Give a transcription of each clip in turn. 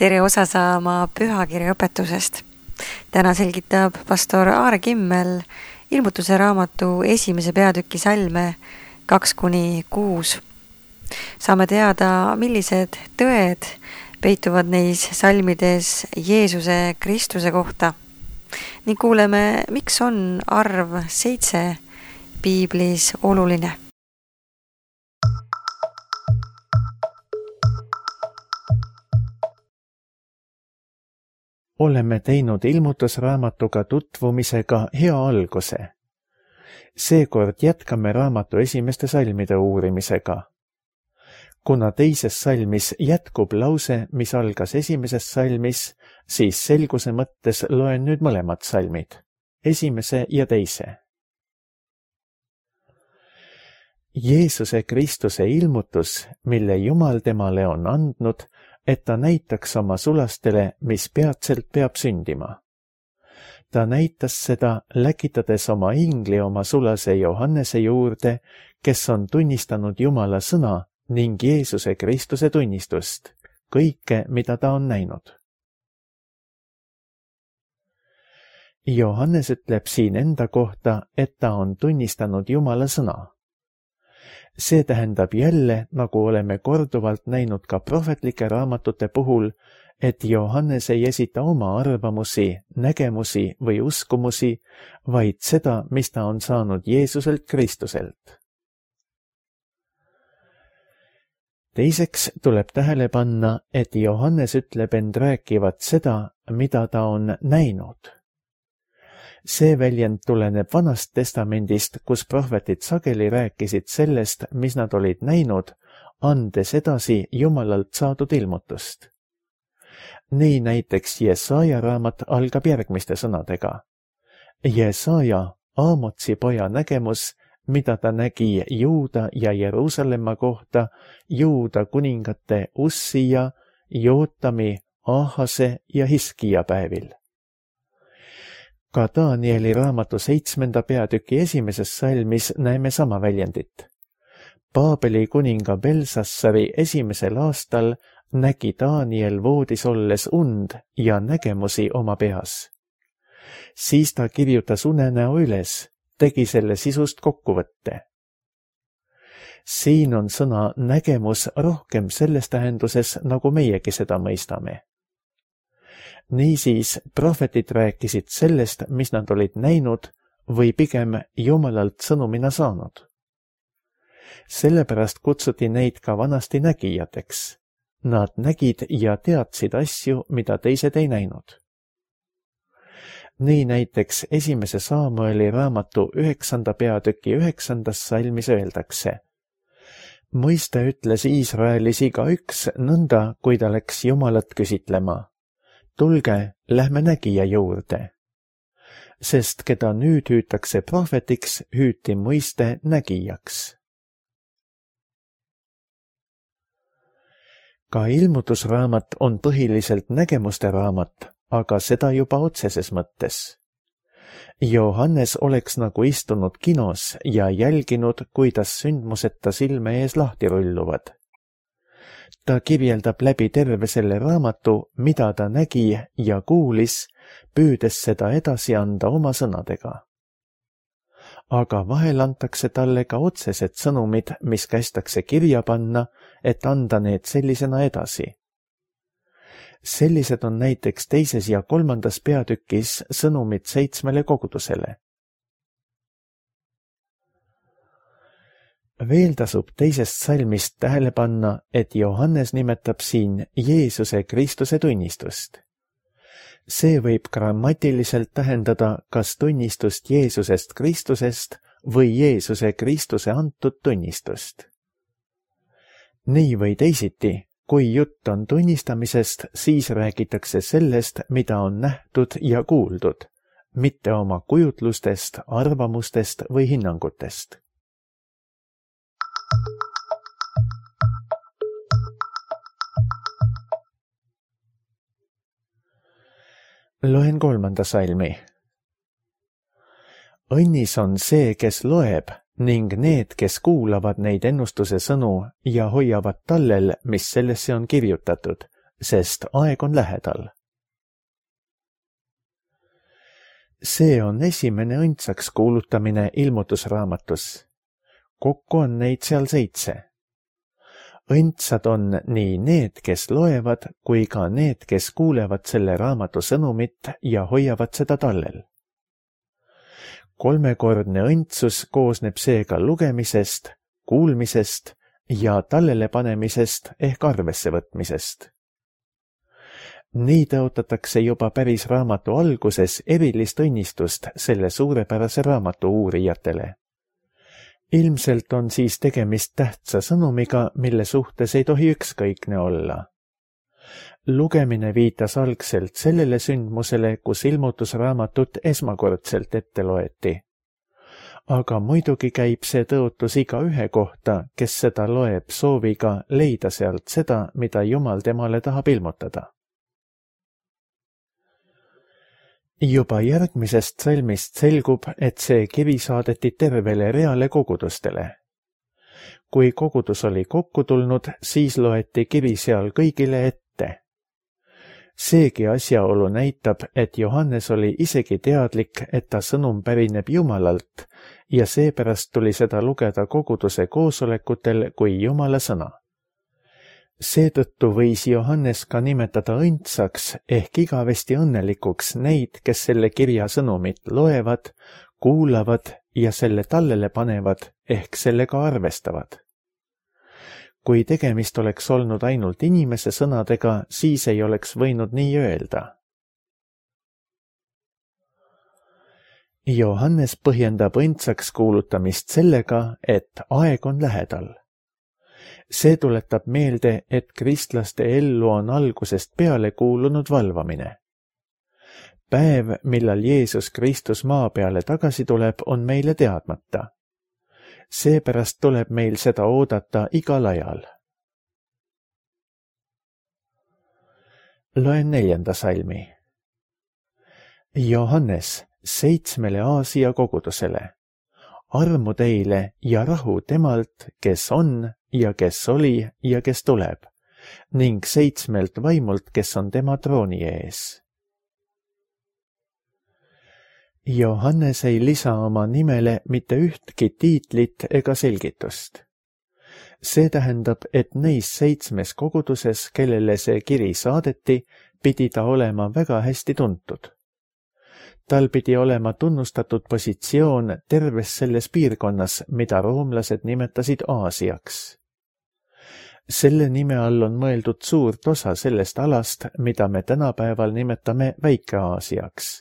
tere osa saama pühakirja õpetusest. Täna selgitab pastor Aare Kimmel ilmutuse raamatu 1. peatüki salme 2-6. Saame teada, millised tõed peituvad neis salmides Jeesuse Kristuse kohta ning kuuleme, miks on arv 7 piiblis oluline. Oleme teinud ilmutusraamatuga tutvumisega hea alguse. Seekord jätkame raamatu esimeste salmide uurimisega. Kuna teises salmis jätkub lause, mis algas esimeses salmis, siis selguse mõttes loen nüüd mõlemad salmid, esimese ja teise. Jeesuse Kristuse ilmutus, mille Jumal temale on andnud, et ta näitaks oma sulastele, mis peatselt peab sündima. Ta näitas seda, läkitades oma ingli oma sulase Johannese juurde, kes on tunnistanud Jumala sõna ning Jeesuse Kristuse tunnistust, kõike, mida ta on näinud. Johannes ütleb siin enda kohta, et ta on tunnistanud Jumala sõna. See tähendab jälle, nagu oleme korduvalt näinud ka prohvetlike raamatute puhul, et Johannes ei esita oma arvamusi, nägemusi või uskumusi, vaid seda, mis ta on saanud Jeesuselt Kristuselt. Teiseks tuleb tähele panna, et Johannes ütleb end rääkivat seda, mida ta on näinud. See väljend tuleneb Vanast Testamendist, kus prohvetid sageli rääkisid sellest, mis nad olid näinud, andes edasi Jumalalt saadud ilmutust. Nii näiteks Jesaja raamat algab järgmiste sõnadega. Jesaja, Aamotsi poja nägemus, mida ta nägi Juuda ja Jeruusalemma kohta, Juuda kuningate Ussija, Jootami, Ahase ja Hiskija päevil. Ka Danieli raamatu 7. peatüki esimeses salmis näeme sama väljendit. Paabeli kuninga Belsassari 1. aastal nägi Daniel voodis olles und ja nägemusi oma peas. Siis ta kirjutas unenäo üles, tegi selle sisust kokkuvõtte. Siin on sõna nägemus rohkem selles tähenduses, nagu meiegi seda mõistame. Niisiis, prohvetid rääkisid sellest, mis nad olid näinud või pigem Jumalalt sõnumina saanud. Sellepärast kutsuti neid ka vanasti nägijateks. Nad nägid ja teadsid asju, mida teised ei näinud. Nii näiteks 1. Saamueli raamatu 9. peatüki 9. salmis öeldakse. Mõiste ütles Iisraelis igaüks nõnda, kui ta läks Jumalat küsitlema. Tulge, lähme nägija juurde. Sest keda nüüd hüütakse prohvetiks, hüüti mõiste nägijaks. Ka ilmutusraamat on põhiliselt nägemuste raamat, aga seda juba otseses mõttes. Johannes oleks nagu istunud kinos ja jälginud, kuidas sündmused ta silme ees lahti rulluvad. Ta kirjeldab läbi terve selle raamatu, mida ta nägi ja kuulis, püüdes seda edasi anda oma sõnadega. Aga vahel antakse talle ka otsesed sõnumid, mis kästakse kirja panna, et anda need sellisena edasi. Sellised on näiteks 2. ja 3. peatükis sõnumid 7 kogudusele. Veel tasub teisest salmist tähele panna, et Johannes nimetab siin Jeesuse Kristuse tunnistust. See võib grammatiliselt tähendada kas tunnistust Jeesusest Kristusest või Jeesuse Kristuse antud tunnistust. Nii või teisiti, kui jutt on tunnistamisest, siis räägitakse sellest, mida on nähtud ja kuuldud, mitte oma kujutlustest, arvamustest või hinnangutest. Loen 3. salmi. Õnnis on see, kes loeb ning need, kes kuulavad neid ennustuse sõnu ja hoiavad tallel, mis sellesse on kirjutatud, sest aeg on lähedal. See on esimene õndsaks kuulutamine ilmutusraamatus. Kokku on neid seal 7. Õndsad on nii need, kes loevad, kui ka need, kes kuulevad selle raamatu sõnumit ja hoiavad seda tallel. 3-kordne õndsus koosneb seega lugemisest, kuulmisest ja tallele panemisest ehk arvesse võtmisest. Nii tõotatakse juba päris raamatu alguses erilist õnnistust selle suurepärase raamatu uurijatele. Ilmselt on siis tegemist tähtsa sõnumiga, mille suhtes ei tohi ükskõikne olla. Lugemine viitas algselt sellele sündmusele, kus ilmutusraamatut esmakordselt ette loeti. Aga muidugi käib see tõotus igaühe kohta, kes seda loeb sooviga leida sealt seda, mida Jumal temale tahab ilmutada. Juba järgmisest salmist selgub, et see kiri saadeti tervele reale kogudustele. Kui kogudus oli kokku tulnud, siis loeti kiri seal kõigile ette. Seegi asjaolu näitab, et Johannes oli isegi teadlik, et ta sõnum pärineb Jumalalt ja seepärast tuli seda lugeda koguduse koosolekutel kui Jumala sõna. Seetõttu võis Johannes ka nimetada õndsaks ehk igavesti õnnelikuks neid, kes selle kirja sõnumit loevad, kuulavad ja selle tallele panevad ehk sellega arvestavad. Kui tegemist oleks olnud ainult inimese sõnadega, siis ei oleks võinud nii öelda. Johannes põhjendab õndsaks kuulutamist sellega, et aeg on lähedal. See tuletab meelde, et kristlaste ellu on algusest peale kuulunud valvamine. Päev, millal Jeesus Kristus maa peale tagasi tuleb, on meile teadmata. Seepärast tuleb meil seda oodata igal ajal. Loen 4. salmi. Johannes 7 Aasia kogudusele. Armu teile ja rahu temalt, kes on ja kes oli ja kes tuleb, ning 7 vaimult, kes on tema trooni ees. Johannes ei lisa oma nimele mitte ühtki tiitlit ega selgitust. See tähendab, et neis 7 koguduses, kellele see kiri saadeti, pidi ta olema väga hästi tuntud. Tal pidi olema tunnustatud positsioon terves selles piirkonnas, mida roomlased nimetasid Aasiaks. Selle nime all on mõeldud suurt osa sellest alast, mida me tänapäeval nimetame Väike-Aasiaks.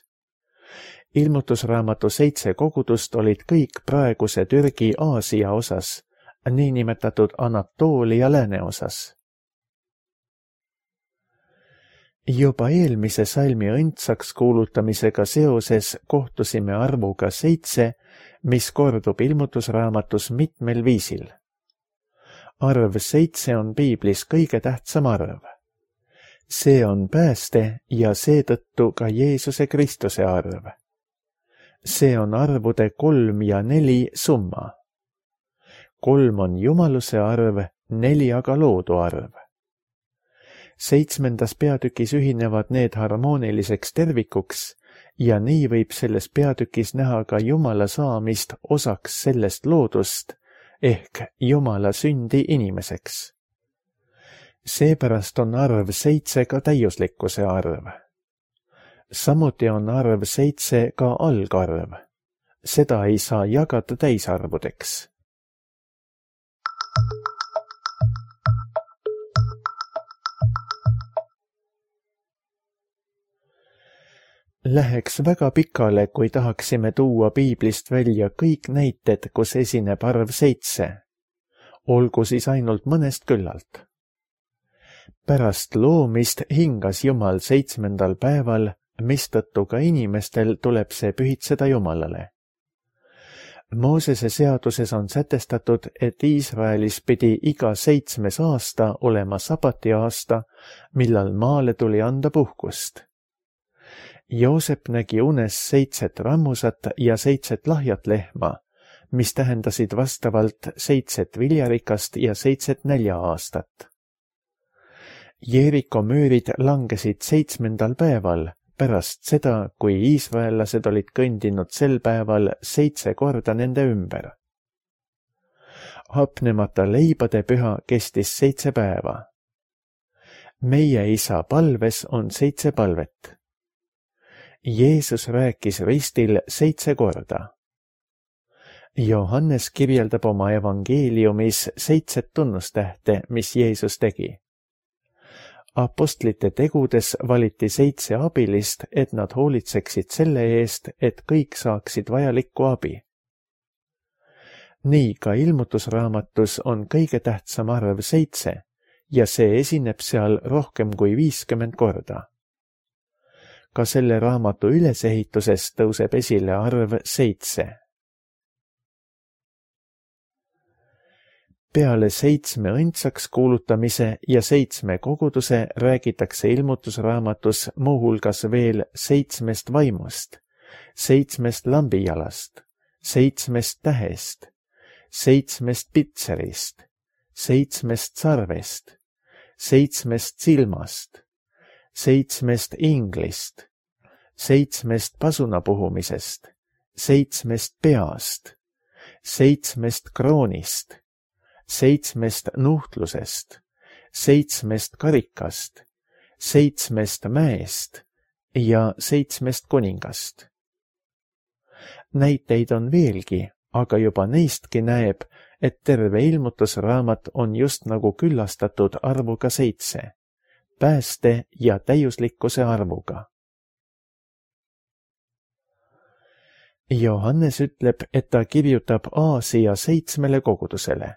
Ilmutusraamatu 7 kogudust olid kõik praeguse Türgi Aasia osas, niinimetatud Anatoolia lääneosas. Juba eelmise salmi õndsaks kuulutamisega seoses kohtusime arvuga 7, mis kordub ilmutusraamatus mitmel viisil. Arv 7 on piiblis kõige tähtsam arv. See on pääste ja seetõttu ka Jeesuse Kristuse arv. See on arvude 3 ja 4 summa. 3 on jumaluse arv, 4 aga loodu arv. 7. peatükis ühinevad need harmooniliseks tervikuks ja nii võib selles peatükis näha ka Jumala saamist osaks sellest loodust ehk Jumala sündi inimeseks. Seepärast on arv 7 ka täiuslikkuse arv. Samuti on arv 7 ka algarv. Seda ei saa jagada täisarvudeks. Läheks väga pikale, kui tahaksime tuua piiblist välja kõik näited, kus esineb arv 7. Olgu siis ainult mõnest küllalt. Pärast loomist hingas Jumal 7. päeval, mistõttu ka inimestel tuleb see pühitseda Jumalale. Moosese seaduses on sätestatud, et Iisraelis pidi iga 7. aasta olema sabati aasta, millal maale tuli anda puhkust. Joosep nägi unes 7 rammusat ja 7 lahjat lehma, mis tähendasid vastavalt 7 viljarikast ja 7 nälja-aastat. Jeeriko müürid langesid 7. päeval pärast seda, kui iisraellased olid kõndinud sel päeval 7 korda nende ümber. Hapnemata leibade püha kestis 7 päeva. Meie isa palves on 7 palvet. Jeesus rääkis ristil 7 korda. Johannes kirjeldab oma evangeeliumis 7 tunnustähte, mis Jeesus tegi. Apostlite tegudes valiti 7 abilist, et nad hoolitseksid selle eest, et kõik saaksid vajalikku abi. Nii ka ilmutusraamatus on kõige tähtsam arv 7 ja see esineb seal rohkem kui 50 korda. Ka selle raamatu ülesehituses tõuseb esile arv 7. Peale 7 õndsaks kuulutamise ja 7 koguduse räägitakse ilmutusraamatus muuhulgas veel 7 vaimust, 7 lambijalast, 7 tähest, 7 pitserist, 7 sarvest, 7 silmast, 7 inglist, 7 pasunapuhumisest, 7 peast, 7 kroonist, 7 nuhtlusest, 7 karikast, 7 mäest ja 7 kuningast. Näiteid on veelgi, aga juba neistki näeb, et terve ilmutusraamat on just nagu küllastatud arvuga 7, pääste ja täiuslikkuse arvuga. Johannes ütleb, et ta kirjutab Aasia 7 kogudusele.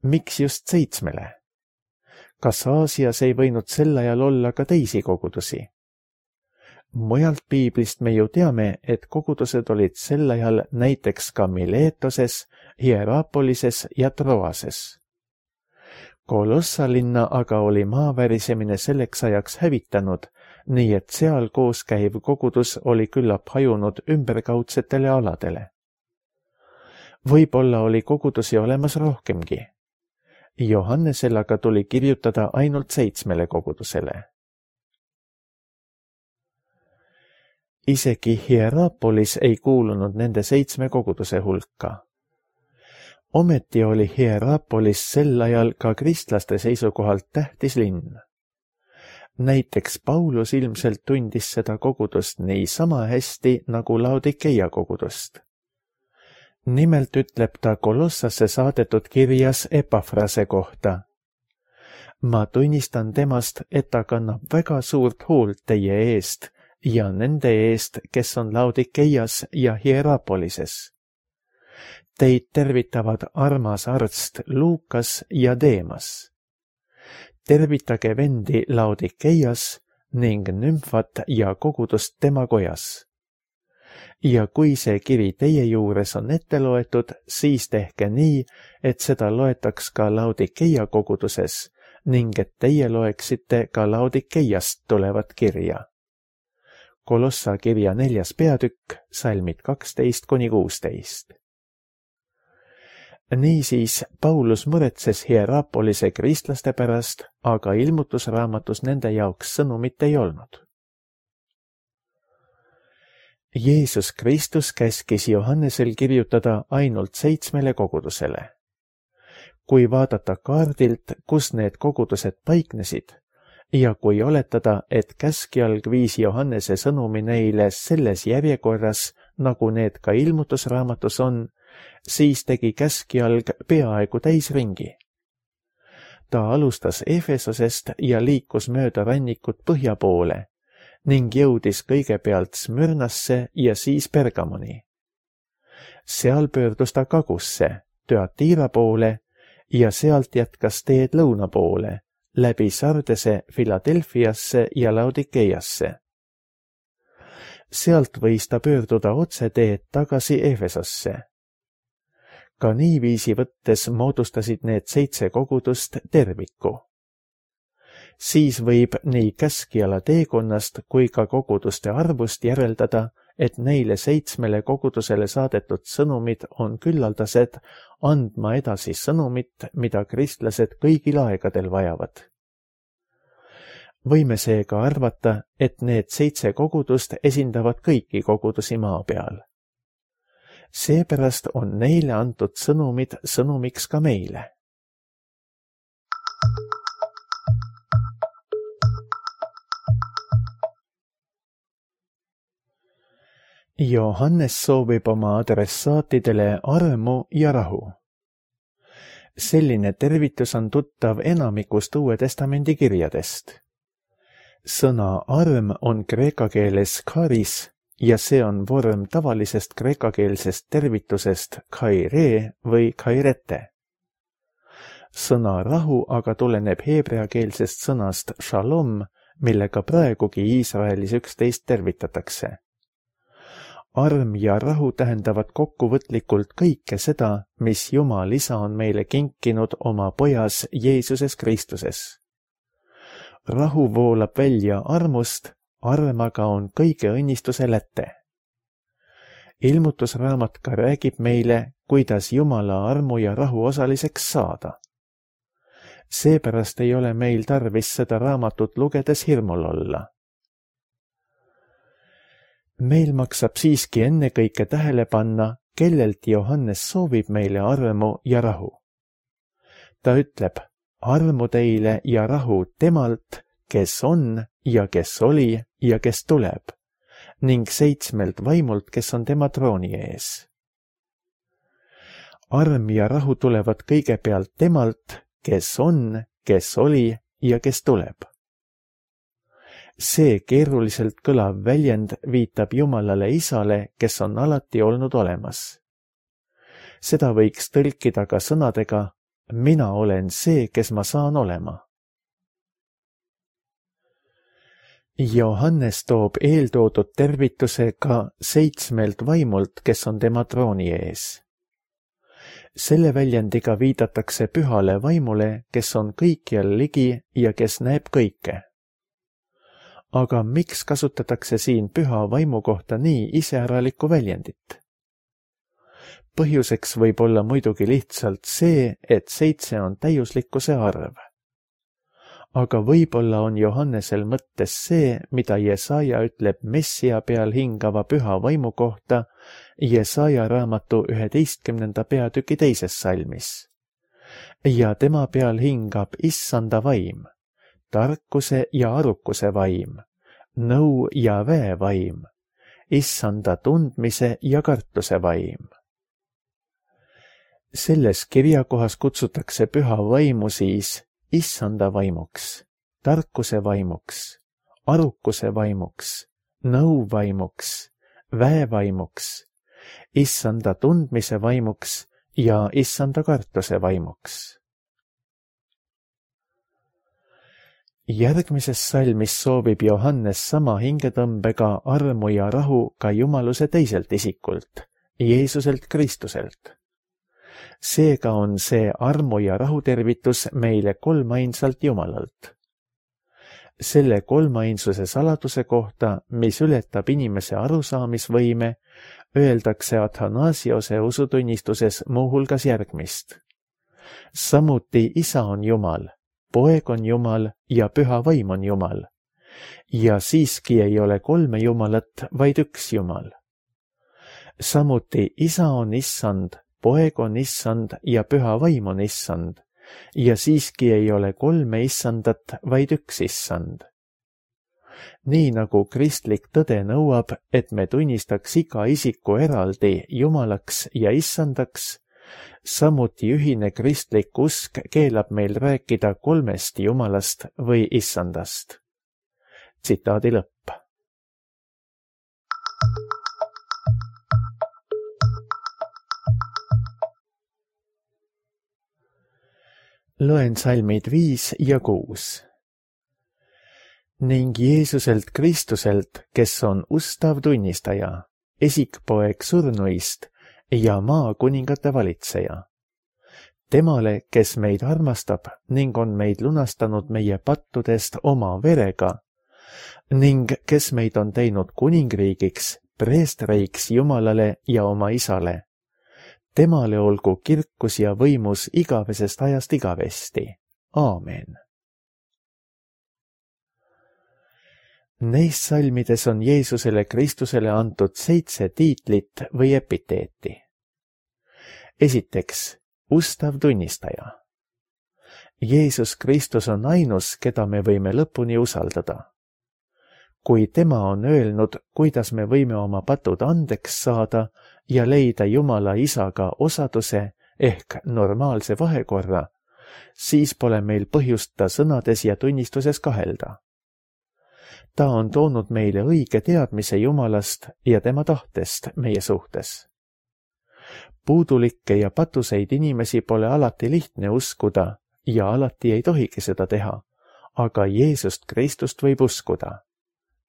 Miks just 7? Kas Aasias ei võinud sel ajal olla ka teisi kogudusi? Mujalt piiblist me ju teame, et kogudused olid sel ajal näiteks ka Miletoses, Hierapolises ja Troases. Kolossa linna aga oli maavärisemine selleks ajaks hävitanud, nii et seal koos käiv kogudus oli küllap hajunud ümberkaudsetele aladele. Võib-olla oli kogudusi olemas rohkemgi. Johannesel aga tuli kirjutada ainult 7 kogudusele. Isegi Hierapolis ei kuulunud nende 7 koguduse hulka. Ometi oli Hierapolis sel ajal ka kristlaste seisukohalt tähtis linn. Näiteks Paulus ilmselt tundis seda kogudust niisama hästi nagu Laodikeia kogudust. Nimelt ütleb ta Kolossasse saadetud kirjas Epafrase kohta. Ma tunnistan temast, et ta kannab väga suurt hoolt teie eest ja nende eest, kes on Laodikeias ja Hierapolises. Teid tervitavad armas arst Luukas ja Deemas. Tervitage vendi Laodikeias ning Nümfat ja kogudust tema kojas. Ja kui see kiri teie juures on ette loetud, siis tehke nii, et seda loetaks ka Laodikeia koguduses ning et teie loeksite ka Laodikeiast tulevat kirja. Kolossa kirja 4. peatükk, salmid 12–16. Niisiis, Paulus muretses Hierapolise kristlaste pärast, aga ilmutusraamatus nende jaoks sõnumit ei olnud. Jeesus Kristus käskis Johannesel kirjutada ainult 7 kogudusele. Kui vaadata kaardilt, kus need kogudused paiknesid, ja kui oletada, et käskjalg viis Johannese sõnumi neile selles järjekorras, nagu need ka ilmutusraamatus on, siis tegi käskjalg peaaegu täisringi. Ta alustas Efesosest ja liikus mööda rannikut põhja poole ning jõudis kõigepealt Smyrnasse ja siis Pergamoni. Seal pöördus ta kagusse, Thyatira poole ja sealt jätkas teed lõuna poole, läbi Sardese Philadelphiasse ja Laodikeiasse. Sealt võis ta pöörduda otseteed tagasi Efesosse. Ka niiviisi võttes moodustasid need 7 kogudust terviku. Siis võib nii käskjala teekonnast kui ka koguduste arvust järeldada, et neile 7 kogudusele saadetud sõnumid on küllaldased andma edasi sõnumit, mida kristlased kõigil aegadel vajavad. võime seega arvata, et need 7 kogudust esindavad kõiki kogudusi maa peal. Seepärast on neile antud sõnumid sõnumiks ka meile. Johannes soovib oma adressaatidele armu ja rahu. Selline tervitus on tuttav enamikust Uue Testamendi kirjadest. Sõna arm on kreeka keeles charis ja see on vorm tavalisest kreekakeelsest tervitusest chaire või chairete. Sõna rahu aga tuleneb heebreakeelsest sõnast shalom, millega praegugi Iisraelis üksteist tervitatakse. Arm ja rahu tähendavad kokkuvõtlikult kõike seda, mis Jumal Isa on meile kinkinud oma pojas Jeesuses Kristuses. Rahu voolab välja armust, arm aga on kõige õnnistuse läte. Ilmutusraamat ka räägib meile, kuidas Jumala armu ja rahu osaliseks saada. Seepärast ei ole meil tarvis seda raamatut lugedes hirmul olla. Meil maksab siiski ennekõike tähele panna, kellelt Johannes soovib meile armu ja rahu. Ta ütleb, armu teile ja rahu temalt, kes on ja kes oli ja kes tuleb, ning 7 vaimult, kes on tema trooni ees. Arm ja rahu tulevad kõigepealt temalt, kes on, kes oli ja kes tuleb. See keeruliselt kõlav väljend viitab Jumalale Isale, kes on alati olnud olemas. Seda võiks tõlkida ka sõnadega, mina olen see, kes ma saan olema. Johannes toob eeltoodud tervituse ka 7 vaimult, kes on tema trooni ees. Selle väljendiga viidatakse pühale vaimule, kes on kõikjal ligi ja kes näeb kõike. Aga miks kasutatakse siin püha vaimu kohta nii iseäralikku väljendit? Põhjuseks võib olla muidugi lihtsalt see, et 7 on täiuslikkuse arv. Aga võib-olla on Johannesel mõttes see, mida Jesaja ütleb Messia peal hingava püha vaimu kohta Jesaja raamatu 11. peatüki 2. salmis. Ja tema peal hingab issanda vaim, tarkuse ja arukuse vaim, nõu ja väe vaim, issanda tundmise ja kartuse vaim. Selles kirjakohas kutsutakse püha vaimu siis issanda vaimuks, tarkuse vaimuks, arukuse vaimuks, nõu vaimuks, väe vaimuks, issanda tundmise vaimuks ja issanda kartuse vaimuks. Järgmises salmis soovib Johannes sama hingetõmbega armu ja rahu ka jumaluse teiselt isikult, Jeesuselt Kristuselt. Seega on see armu ja rahu tervitus meile kolmainsalt Jumalalt. Selle kolmainsuse saladuse kohta, mis ületab inimese arusaamisvõime, öeldakse Athanasiose usutunnistuses muuhulgas järgmist. Samuti Isa on Jumal, Poeg on Jumal ja Püha Vaim on Jumal. Ja siiski ei ole 3 Jumalat, vaid üks Jumal. Samuti Isa on Issand, Poeg on Issand ja Püha Vaim on Issand. Ja siiski ei ole 3 Issandat, vaid üks Issand. Nii nagu kristlik tõde nõuab, et me tunnistaks iga isiku eraldi Jumalaks ja Issandaks, samuti ühine kristlik usk keelab meil rääkida 3 Jumalast või Issandast. Tsitaadi lõpp. Loen salmid 5 ja 6. Ning Jeesuselt Kristuselt, kes on ustav tunnistaja, esikpoeg surnuist ja maa kuningate valitseja. Temale, kes meid armastab ning on meid lunastanud meie pattudest oma verega ning kes meid on teinud kuningriigiks, preestriks Jumalale ja oma Isale. Temale olgu kirkus ja võimus igavesest ajast igavesti. Aamen. Neis salmides on Jeesusele Kristusele antud 7 tiitlit või epiteeti. Esiteks, ustav tunnistaja. Jeesus Kristus on ainus, keda me võime lõpuni usaldada. Kui tema on öelnud, kuidas me võime oma patud andeks saada ja leida Jumala Isaga osaduse ehk normaalse vahekorra, siis pole meil põhjust ta sõnades ja tunnistuses kahelda. Ta on toonud meile õige teadmise Jumalast ja tema tahtest meie suhtes. Puudulikke ja patuseid inimesi pole alati lihtne uskuda ja alati ei tohigi seda teha, aga Jeesust Kristust võib uskuda.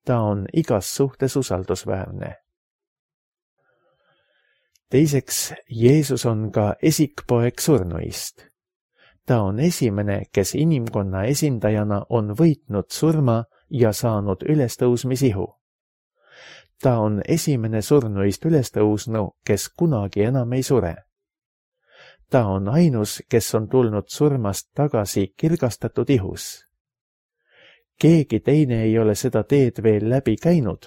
Ta on igas suhtes usaldusväärne. Teiseks, Jeesus on ka esikpoeg surnuist. Ta on esimene, kes inimkonna esindajana on võitnud surma ja saanud ülestõusmisihu. Ta on esimene surnuist ülestõusnu, kes kunagi enam ei sure. Ta on ainus, kes on tulnud surmast tagasi kirgastatud ihus. Keegi teine ei ole seda teed veel läbi käinud,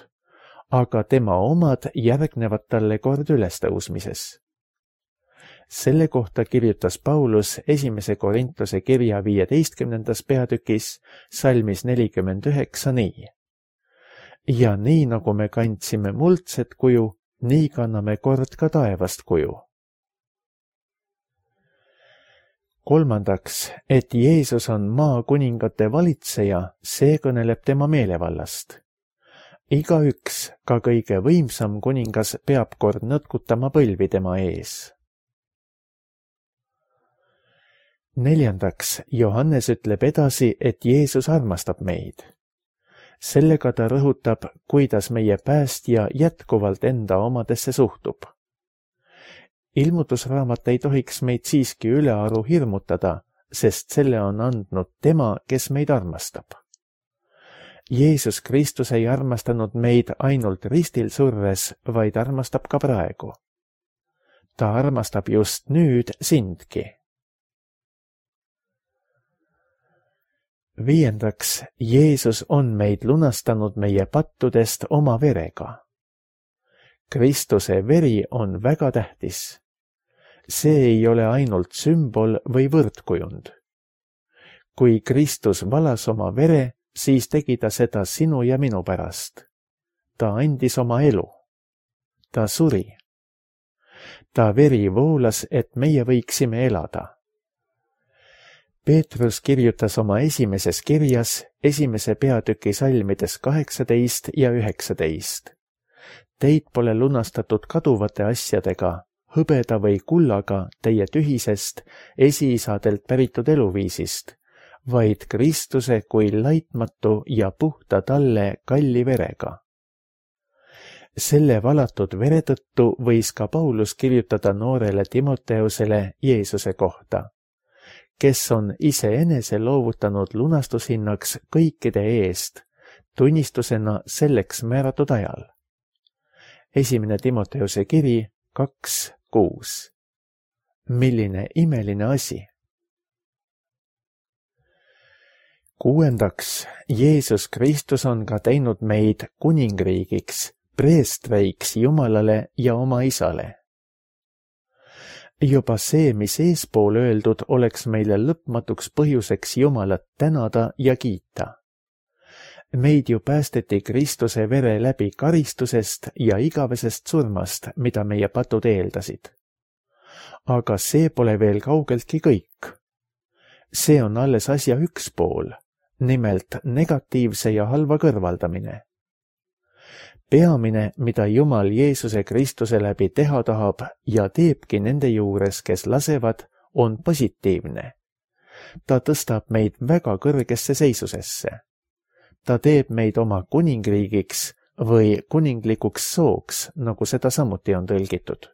aga tema omad järgnevad talle kord ülestõusmises. Selle kohta kirjutas Paulus 1. Korintuse kirja 15. peatükis salmis 49 nii. Ja nii nagu me kandsime muldset kuju, nii kanname kord ka taevast kuju. Kolmandaks, et Jeesus on maakuningate valitseja, see kõneleb tema meelevallast. Igaüks, ka kõige võimsam kuningas, peab kord nõtkutama põlvi tema ees. Neljandaks, Johannes ütleb edasi, et Jeesus armastab meid. Sellega ta rõhutab, kuidas meie päästja jätkuvalt enda omadesse suhtub. Ilmutusraamat ei tohiks meid siiski ülearu hirmutada, sest selle on andnud tema, kes meid armastab. Jeesus Kristus ei armastanud meid ainult ristil surres, vaid armastab ka praegu. Ta armastab just nüüd sindki. Viiendaks, Jeesus on meid lunastanud meie pattudest oma verega. Kristuse veri on väga tähtis. See ei ole ainult sümbol või võrdkujund. Kui Kristus valas oma vere, siis tegi ta seda sinu ja minu pärast. Ta andis oma elu. Ta suri. Ta veri voolas, et meie võiksime elada. Peetrus kirjutas oma esimeses kirjas 1. peatüki salmides 18 ja 19. Teid pole lunastatud kaduvate asjadega, hõbeda või kullaga teie tühisest esiisadelt päritud eluviisist, vaid Kristuse kui laitmatu ja puhta talle kalli verega. Selle valatud vere tõttu võis ka Paulus kirjutada noorele Timoteusele Jeesuse kohta, kes on iseenese loovutanud lunastushinnaks kõikide eest, tunnistusena selleks määratud ajal. 1. Timoteuse kiri 2:6. Milline imeline asi! Kuuendaks, Jeesus Kristus on ka teinud meid kuningriigiks, preestreiks Jumalale ja oma Isale. Juba see, mis eespool öeldud, oleks meile lõpmatuks põhjuseks Jumalat tänada ja kiita. Meid ju päästeti Kristuse vere läbi karistusest ja igavesest surmast, mida meie patud eeldasid. Aga see pole veel kaugeltki kõik. See on alles asja üks pool, nimelt negatiivse ja halva kõrvaldamine. Peamine, mida Jumal Jeesuse Kristuse läbi teha tahab ja teebki nende juures, kes lasevad, on positiivne. Ta tõstab meid väga kõrgesse seisusesse. Ta teeb meid oma kuningriigiks või kuninglikuks sooks, nagu seda samuti on tõlgitud.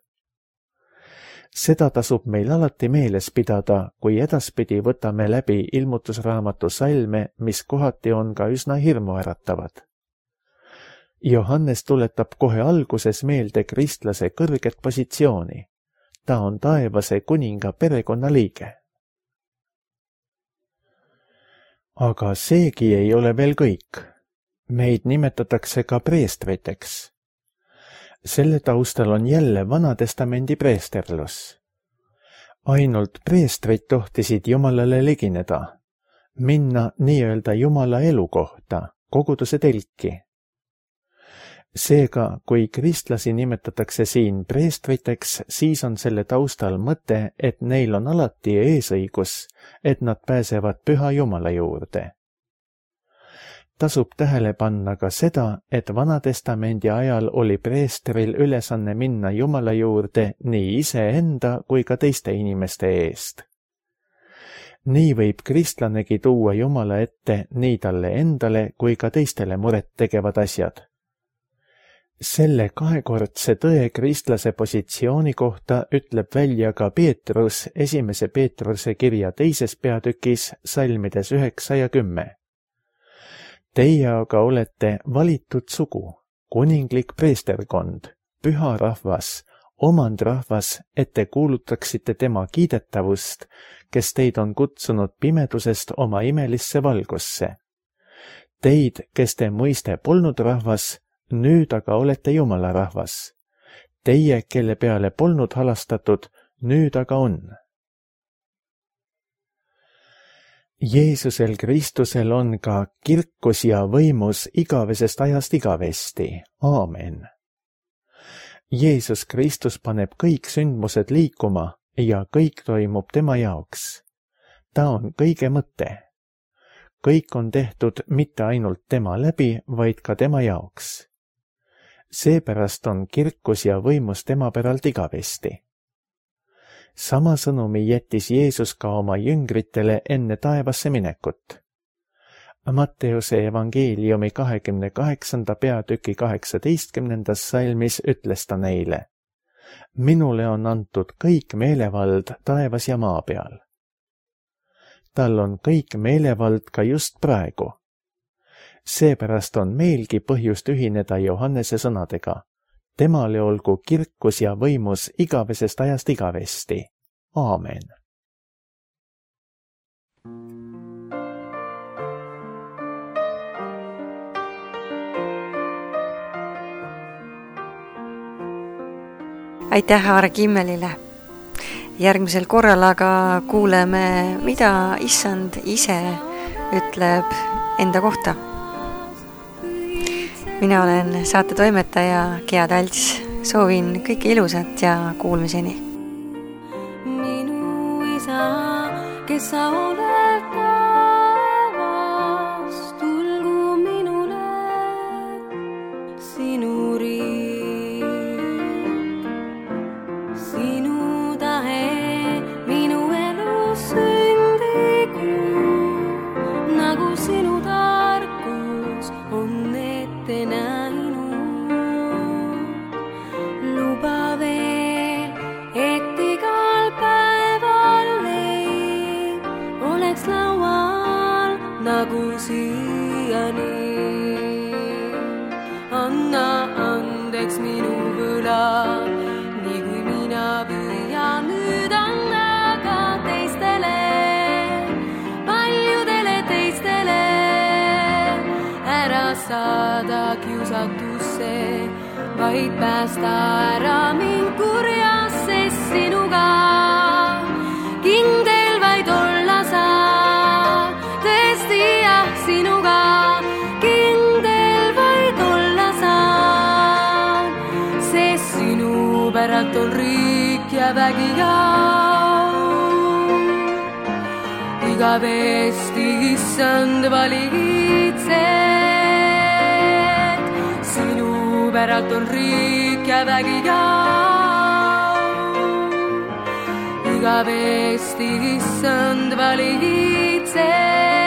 Seda tasub meil alati meeles pidada, kui edaspidi võtame läbi ilmutusraamatu salme, mis kohati on ka üsna hirmuäratavad. Johannes tuletab kohe alguses meelde kristlase kõrget positsiooni. Ta on taevase kuninga perekonnaliige. Aga seegi ei ole veel kõik. Meid nimetatakse ka preestriteks. Selle taustal on jälle Vana-testamendi preesterlus. Ainult preestrid tohtisid Jumalale ligineda, minna nii-öelda Jumala elukohta, koguduse telki. Seega, kui kristlasi nimetatakse siin preestriteks, siis on selle taustal mõte, et neil on alati eesõigus, et nad pääsevad Püha Jumala juurde. Tasub tähele panna ka seda, et Vana-testamendi ajal oli preestril ülesanne minna Jumala juurde nii iseenda kui ka teiste inimeste eest. Nii võib kristlanegi tuua Jumala ette nii talle endale kui ka teistele muret tegevad asjad. Selle kahekordse tõe kristlase positsiooni kohta ütleb välja ka Peetrus 1. Peetruse kirja 2. peatükis salmides 9 ja 10. Teie aga olete valitud sugu, kuninglik preesterkond, püha rahvas, omandrahvas, et te kuulutaksite tema kiidetavust, kes teid on kutsunud pimedusest oma imelisse valgusse. Teid, kes te muiste polnud rahvas, nüüd aga olete Jumala rahvas. Teie, kelle peale polnud halastatud, nüüd aga on. Jeesusel Kristusel on ka kirkus ja võimus igavesest ajast igavesti. Aamen. Jeesus Kristus paneb kõik sündmused liikuma ja kõik toimub tema jaoks. Ta on kõige mõte. Kõik on tehtud mitte ainult tema läbi, vaid ka tema jaoks. Seepärast on kirkus ja võimus tema päralt igavesti. Sama sõnumi jättis Jeesus ka oma jüngritele enne taevasse minekut. Matteuse evangeeliumi 28. peatüki 18. salmis ütles ta neile: Minule on antud kõik meelevald taevas ja maa peal. Tal on kõik meelevald ka just praegu. Seepärast on meilgi põhjust ühineda Johannese sõnadega. Temale olgu kirkus ja võimus igavesest ajast igavesti. Aamen. Aitäh Aare Kimmelile. Järgmisel korral aga kuuleme, mida Issand ise ütleb enda kohta. Mina olen saate toimetaja Gea Talts. Soovin kõike ilusat ja kuulmiseni. Minu isa, kes sa oled taevas, tulgu minule sinu riik. Sinu tahe minu elus sündigu, nagu sinu tarkus on ette näinud. Luba veel, et igal päeval leib oleks laual nagu siiani. Anna andeks minu võla, nii kui mina püüan nüüd anna ka teistele, paljudele teistele. Ära saada kiusatusse, vaid päästa ära mind kurjast, sest sinuga kindel vaid olla saa. Tõesti jah, sinuga kindel vaid olla saa, sest sinu päralt on riik ja vägi ja igavesti Issand valitsed. Sinu päralt on riik ja vägi ja igavesti Issand valitsed.